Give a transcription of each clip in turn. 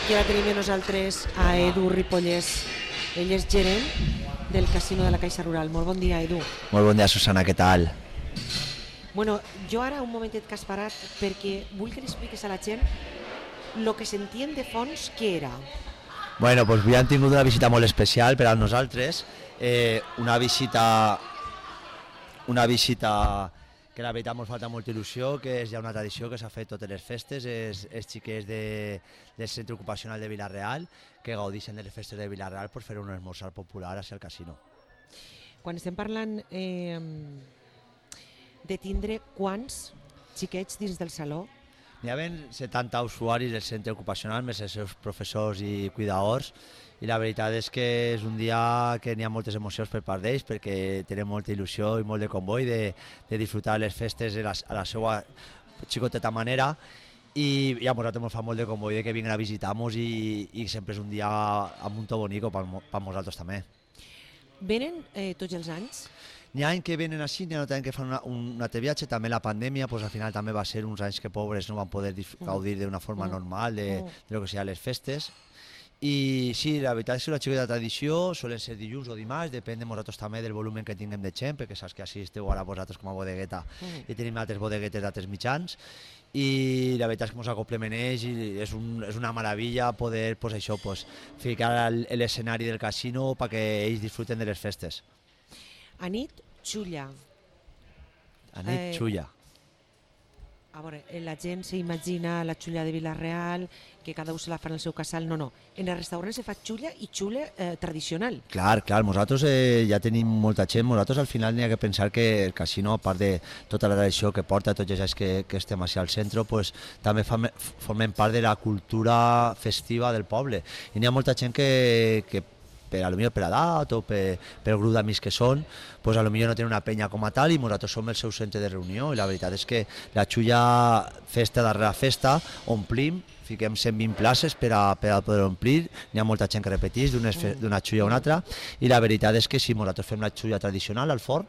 I ara tenim amb nosaltres a Edu Ripollès. Ell és gerent del casino de la Caixa Rural. Molt bon dia, Edu. Molt bon dia, Susana, què tal? Bueno, jo ara un momentet que has parat perquè vull que li expliquis a la gent el que sentien de fons què era. Bueno, doncs avui hem tingut una visita molt especial per a nosaltres, una visita que la veritat ens falta molta il·lusió, que és ja una tradició que s'ha fet totes les festes, els xiquets del centre ocupacional de Vila-real, que gaudeixen de les festes de Vila-real per fer un esmorzar popular al casino. Quan estem parlant de tindre quants xiquets dins del saló? N'hi ha 70 usuaris del centre ocupacional, més els seus professors i cuidadors, i la veritat és que és un dia que n'hi ha moltes emocions per part d'ells, perquè tenen molta il·lusió i molt de comboi de disfrutar les festes a la seva xicoteta manera, i a nosaltres ens fa molt de comboi que vinguin a visitar-nos i sempre és un dia amb un to bonico per nosaltres també. Venen tots els anys? N'hi ha anys que venen així, n'hi ha anys que fan un altre viatge, també la pandèmia, al final també va ser uns anys que pobres no van poder gaudir d'una forma normal de lo que seran les festes. I sí, la veritat és que la xica de tradició solen ser dilluns o dimarts, depèn de nosaltres també del volum que tinguem de gent, perquè saps que així esteu ara vosaltres com a bodegueta i tenim altres bodeguetes d'altres mitjans, i la veritat és que ens acoplem en ells i és una meravella poder ficar l'escenari del casino perquè ells disfruten de les festes. A nit, xulla. A nit, xulla. A veure, la gent s'imagina la xulla de Vila-real, que cada un se la fa en el seu casal. No. En el restaurant se fa xulla i xulla tradicional. Clar, nosaltres ja tenim molta gent. Nosaltres al final n'hi ha que pensar que el casino, a part de tota la tradició que porta, tots els anys que estem així al centre, també formem part de la cultura festiva del poble. I n'hi ha molta gent que per edat o per el grup d'amics que són, potser no tenen una penya com a tal i nosaltres som el seu centre de reunió, i la veritat és que la xulla festa darrere festa omplim, fiquem 120 places per a poder omplir, n'hi ha molta gent que repeteix d'una xulla a una altra, i la veritat és que si nosaltres fem la xulla tradicional al forn,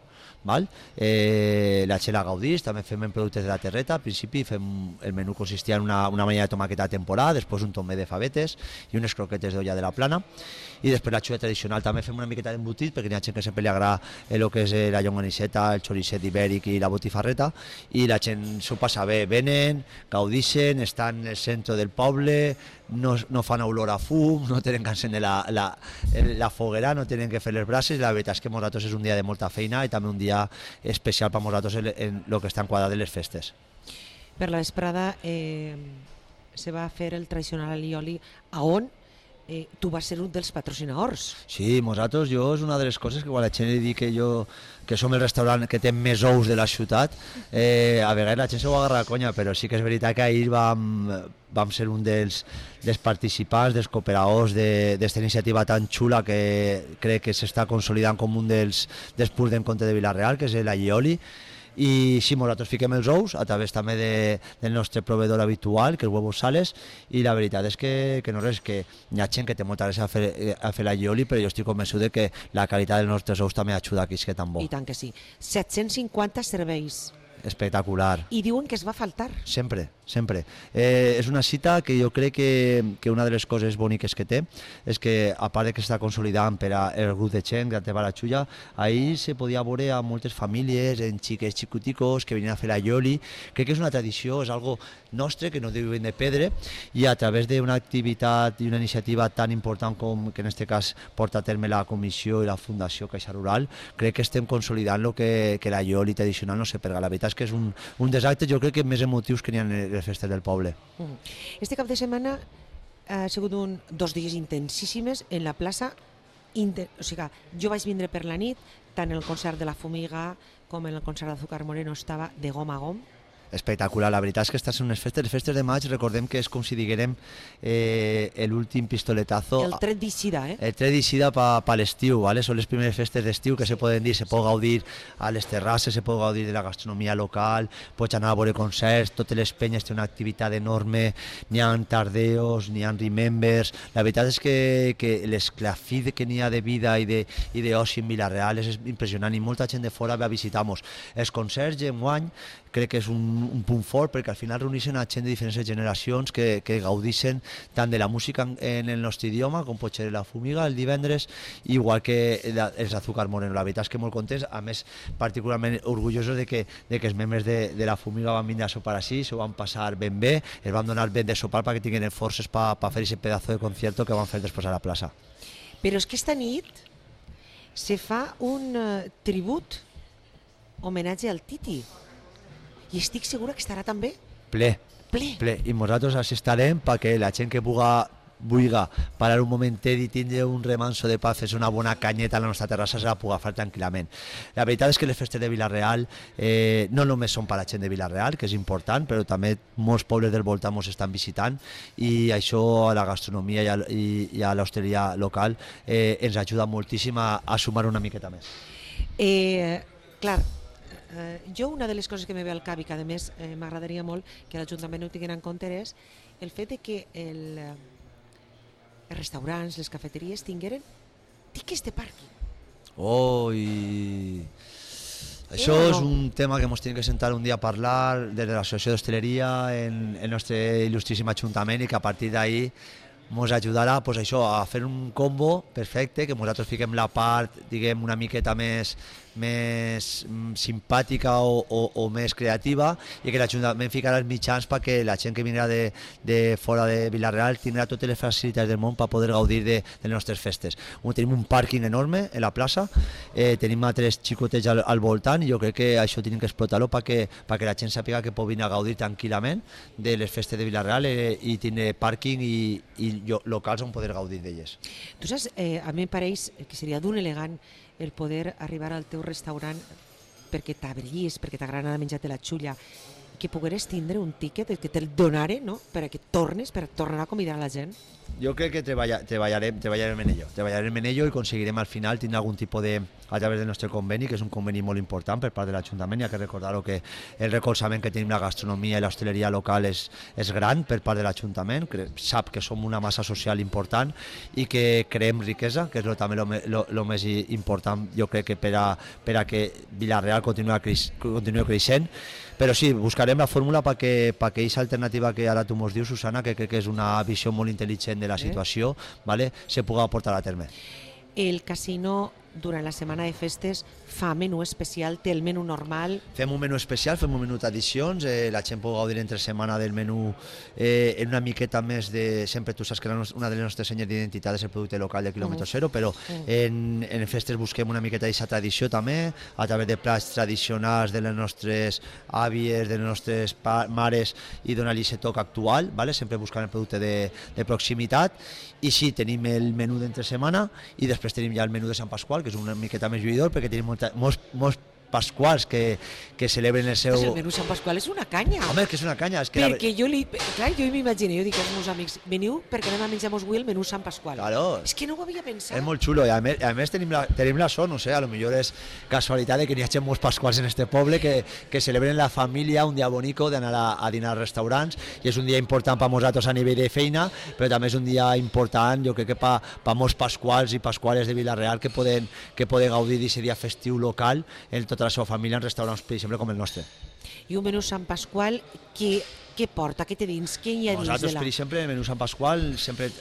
la gent la gaudís, també fem productes de la terreta. Al principi el menú consistia en una manilla de tomaqueta de temporada, després un tomet de favetes i unes croquetes d'olla de la plana, i després la xulla tradicional també fem una miqueta d'embotit, perquè n'hi ha gent que sempre li agrada el que és la llonganisseta, el xoricet ibèric i la botifarreta, i la gent s'ho passa bé, venen, gaudixen, estan en el centre del poble, no fan olor a fum, no tenen que encendre la foguera, no tenen que fer les braces. La veritat és que nosaltres és un dia de molta feina i també un dia especial per nosaltres en el que està enquadrat de les festes. Per la vesprada se va fer el tradicional alioli, on tu vas ser un dels patrocinadors. Sí, nosaltres, és una de les coses que quan la gent li dic que som el restaurant que té més ous de la ciutat, a vegades la gent s'ho agarra a conya, però sí que és veritat que ahir vam ser un dels participants, dels cooperadors d'esta iniciativa tan xula que crec que s'està consolidant com un dels punts d'encontre de Vila-real, que és l'allioli. I sí, nosaltres fiquem els ous a través també del nostre proveïdor habitual, que és Huevos Sales, i la veritat és que no res, que hi ha gent que té molta gràcia a fer l'allioli, però jo estic convençut que la qualitat dels nostres ous també ajuda a que és tan bo. I tant que sí. 750 serveis. Espectacular. I diuen que es va faltar. Sempre. És una cita que jo crec que una de les coses boniques que té és que, a part que s'està consolidant per al grup de gent que va a la xulla, ahir se podia veure a moltes famílies, en xiques xicoticos que venien a fer l'allioli. Crec que és una tradició, és algo nostre que no devem de perdre, i a través d'una activitat i una iniciativa tan important com que en aquest cas porta a terme la comissió i la Fundació Caixa Rural, crec que estem consolidant que l'allioli tradicional no se perga. La veritat és que és un dels actes, jo crec que més emotius que n'hi ha en les festes del poble. Este cap de setmana ha sigut 2 dies intensíssimes en la plaça. O sigui, jo vaig vindre per la nit, tant el concert de la Fumiga com el concert d'Azúcar Moreno estava de gom a gom. Espectacular, la veritat és que estàs en unes festes. Les festes de maig, recordem que és com si diguérem l'últim pistoletazo. El tret d'eixida, El tret d'eixida per l'estiu, són les primeres festes d'estiu que se poden dir, se pot gaudir a les terrasses, se pot gaudir de la gastronomia local, pots anar a veure concerts, totes les penyes tenen una activitat enorme, n'hi ha tardeos, n'hi ha remembers. La veritat és que l'esclafit que n'hi ha de vida i d'oci en Vila-real és impressionant, i molta gent de fora ve a visitar-nos. Els concerts, enguany, crec que és un un punt fort, perquè al final reuneixen a gent de diferents generacions que gaudeixen tant de la música en el nostre idioma, com pot ser la Fumiga el divendres, igual que els Azúcar Moreno. La veritat és que molt contents, a més particularment orgullosos de que els membres de la Fumiga van vindre a sopar així, s'ho van passar ben bé, es van donar ben de sopar perquè tinguin forces per fer aquest pedazo de concierto que van fer després a la plaça. Però és que esta nit se fa un tribut, homenatge al Titi, i estic segura que estarà també Ple. ple. I nosaltres així estarem perquè la gent que vulgui parar un momentet i tindre un remanso de paz, és una bona canyeta a la nostra terrassa, se la pugui fer tranquil·lament. La veritat és que les festes de Vila-real no només són per a la gent de Vila-real, que és important, però també molts pobles del voltant ens estan visitant, i això a la gastronomia i a l'hostaleria local ens ajuda moltíssim a sumar una miqueta més. Clar, jo una de les coses que me ve al cap i que a més m'agradaria molt que l'Ajuntament ho tinguin en compte és el fet de que els restaurants, les cafeteries tingueren tiquets de pàrquing. Això és un tema que ens tenim que sentar un dia a parlar des de l'Associació d'Hostaleria en el nostre il·lustríssim Ajuntament, i que a partir d'ahir ens ajudarà pues, això, a fer un combo perfecte, que nosaltres fiquem la part diguem una miqueta més simpàtica o més creativa, i que l'Ajuntament ficarà els mitjans perquè la gent que vindrà de fora de Vila-real tindrà totes les facilitats del món per poder gaudir de les nostres festes. Tenim un pàrquing enorme en la plaça, tenim altres xicotets al voltant, i jo crec que això tenim que explotar-ho perquè la gent sàpiga que pot venir a gaudir tranquil·lament de les festes de Vila-real i tindre pàrquing i locals on poder gaudir d'elles. Tu saps, a mi em pareix que seria d'un elegant el poder arribar al teu restaurant perquè t'abrís, perquè t'agrada menjar-te la xulla, que pogueres tindre un tíquet que te'l donaren, no? perquè tornes, per tornar a convidar a la gent. Jo crec que treballarem en ello i aconseguirem al final tindre algun tipus de, a través del nostre conveni, que és un conveni molt important per part de l'Ajuntament. Hi ha que recordar que el recolzament que tenim la gastronomia i l'hostaleria local és gran per part de l'Ajuntament, sap que som una massa social important i que creem riquesa, que és també el més important, jo crec, que per a que Vila-real continua creixent. Però sí, buscarem la fórmula perquè aquesta alternativa que ara tu mos dius, Susana, que crec que és una visió molt intel·ligent de la situació, ¿vale? Se pugui portar a terme. El casino durant la setmana de festes fa menú especial, té el menú normal? Fem un menú especial, fem un menú d'addicions, la gent pot gaudir entre setmana del menú en una miqueta més de... Sempre tu saps que una de les nostres senyes d'identitat és el producte local de quilòmetre zero, però en festes busquem una miqueta d'aquesta tradició també, a través de plats tradicionals de les nostres àvies, de les nostres mares, i donar-li aquest toc actual, ¿vale? Sempre buscant el producte de proximitat. I sí, tenim el menú d'entre setmana i després tenim ja el menú de Sant Pasqual, que és una miqueta més lluïdor, perquè tenim molts pasquals que celebren el seu... Pues el menú Sant Pasqual és una canya. Home, és que és una canya. És que perquè jo m'imagino, jo dic als meus amics, veniu perquè anem a menjar avui el menú Sant Pasqual. Claro. És que no ho havia pensat. És molt xulo, i a més tenim la sort, no sé, a lo millor és casualitat de que n'hi hagi molts pasquals en este poble que celebren la família un dia bonico d'anar a dinar als restaurants, i és un dia important per nosaltres a nivell de feina, però també és un dia important, jo crec que per molts pasquals i pasquales de Vila-real que poden gaudir d'aquest dia festiu local en tota la seva família en restaurants, per exemple, com el nostre. I un menú Sant Pasqual, què porta? Què té dins? Què hi ha dins? Nosaltres, per exemple, el menú Sant Pasqual sempre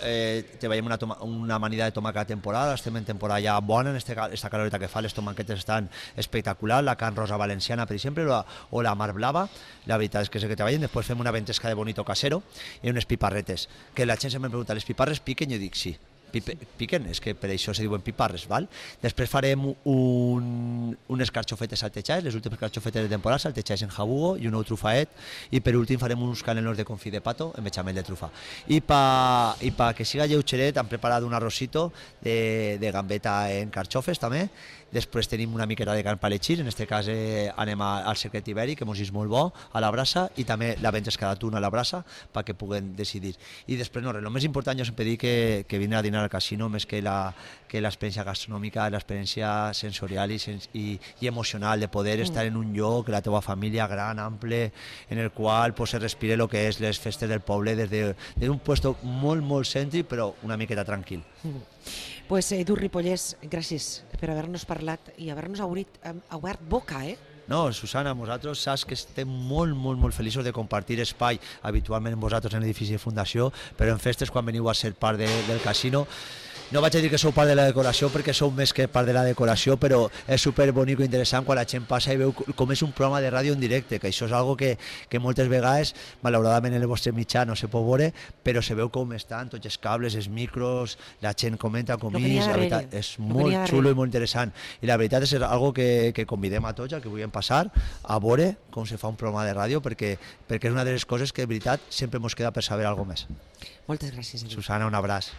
treballem una amanida de tomàquet a temporada, estem en temporada ja bona, en esta caloreta que fa, les tomàquetes estan espectaculars, la carn rosa valenciana, per exemple, o la mar blava, la veritat és que és el que treballem. Després fem una ventesca de bonito casero i unes piparretes, que la gent sempre em pregunta, les piparres piquen? Jo dic sí. Piquen, és que per això se diuen piparres, val? Després farem unes carxofetes saltejades, les últimes carxofetes de temporada, saltejades en jabugo i un ou trufaet, i per últim farem uns canelos de confit de pato en bechamel de trufa. I pa que siga lleugeret hem preparat un arrocito de gambeta en carxofes també. Després tenim una miqueta de carn palechir, en aquest cas anem al secret ibèric, que mos és molt bo, a la brasa, i també la ventesca d'atún a la brasa, perquè puguen decidir. I després, el més important, jo sempre dic que vindre a dinar al casino, més que l'experiència gastronòmica, l'experiència sensorial i emocional, de poder estar en un lloc, la teva família gran, ample, en el qual se respire el que és les festes del poble des d'un puesto molt, molt cèntric, però una miqueta tranquil. Pues Edu Ripollès, gràcies per haver-nos parlat i haver-nos obert boca, No, Susana, vosaltres saps que estem molt feliços de compartir espai habitualment amb vosaltres en l'edifici de Fundació, però en festes quan veniu a ser part del casino. No vaig a dir que sou part de la decoració perquè sou més que part de la decoració, però és super bonic i interessant quan la gent passa i veu com és un programa de ràdio en directe, que això és algo que moltes vegades, malauradament en el vostre mitjà no se pot veure, però se veu com estan tots els cables, els micros, la gent comenta com la veritat, és molt xulo i molt interessant. I la veritat és algo que convidem a tots, que vulguem passar, a veure com se fa un programa de ràdio, perquè és una de les coses que de veritat sempre ens queda per saber alguna més. Moltes gràcies. Susana, un abraç.